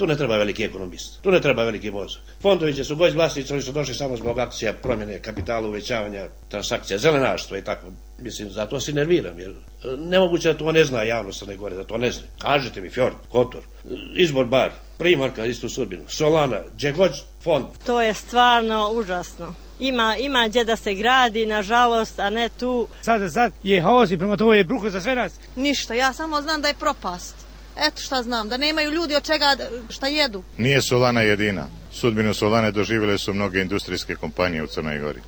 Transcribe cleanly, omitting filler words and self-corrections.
Tu ne treba veliki ekonomist, tu ne treba veliki mozak. Fondoviće su gość vlasnici, oni su došli samo zbog akcija, promjene kapitala, uvećavanja transakcija, zelenaštva i tako. Mislim, zato se nerviram, jer nemoguće da to ne zna javnost Crne Gore, da to ne zna. Kažete mi, Fjord, Kotor, Izbor bar, Primorka, istu sudbinu, Solana, gdje god fond. To je stvarno užasno. Ima gdje da se gradi, nažalost, a ne tu. Sad je haos i prema to je bruho za sve nas. Ništa, ja samo znam da je propast. Eto šta znam, da nemaju ljudi od čega šta jedu. Nije Solana jedina. Sudbinu Solane doživjele su mnoge industrijske kompanije u Crnoj Gori.